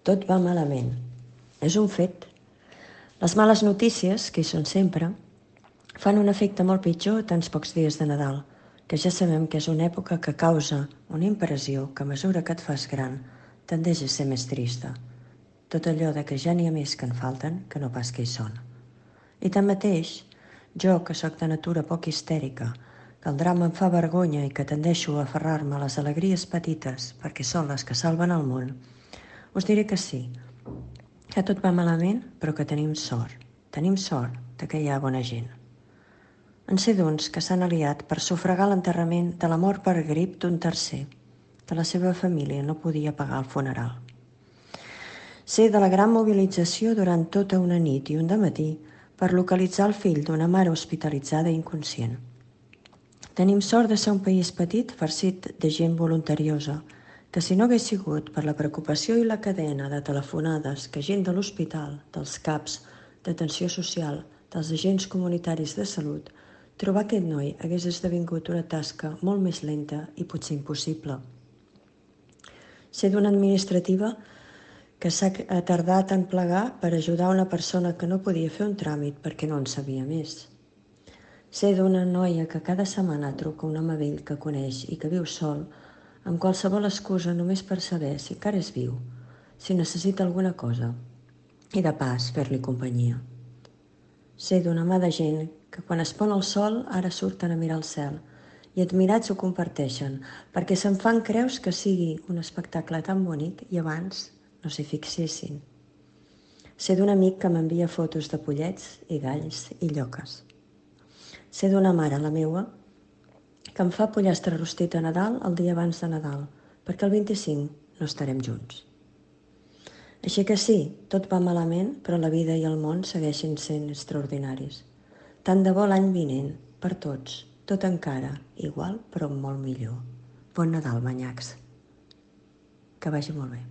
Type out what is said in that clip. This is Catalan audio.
Tot va malament. És un fet. Les males notícies, que hi són sempre, fan un efecte molt pitjor a tants pocs dies de Nadal, que ja sabem que és una època que causa una impressió que a mesura que et fas gran tendeix a ser més trista. Tot allò de que ja n'hi ha més que en falten que no pas que hi són. I tanmateix, jo, que sóc de natura poc histèrica, que el drama em fa vergonya i que tendeixo a aferrar-me a les alegries petites perquè són les que salven el món, us diré que sí, que tot va malament, però que tenim sort. Tenim sort de que hi ha bona gent. En sé d'uns que s'han aliat per sufragar l'enterrament de la mort per grip d'un tercer, que la seva família no podia pagar el funeral. Sé de la gran mobilització durant tota una nit i un dematí per localitzar el fill d'una mare hospitalitzada i inconscient. Tenim sort de ser un país petit farcit de gent voluntariosa, que si no hagués sigut per la preocupació i la cadena de telefonades que gent de l'hospital, dels CAPs, d'atenció social, dels agents comunitaris de salut, trobar aquest noi hagués esdevingut una tasca molt més lenta i potser impossible. Sé d'una administrativa que s'ha tardat en plegar per ajudar una persona que no podia fer un tràmit perquè no en sabia més. Sé d'una noia que cada setmana truca un home vell que coneix i que viu sol, amb qualsevol excusa només per saber si encara és viu, si necessita alguna cosa, i de pas fer-li companyia. Sé d'una mà de gent que quan es pon el sol ara surten a mirar el cel i admirats ho comparteixen perquè se'n fan creus que sigui un espectacle tan bonic i abans no s'hi fixessin. Sé d'un amic que m'envia fotos de pollets i galls i lloques. Sé d'una mare, la meua, que em fa pollastre rostit a Nadal el dia abans de Nadal, perquè el 25 no estarem junts. Així que sí, tot va malament, però la vida i el món segueixen sent extraordinaris. Tant de bo l'any vinent, per tots, tot encara, igual però molt millor. Bon Nadal, manyacs. Que vagi molt bé.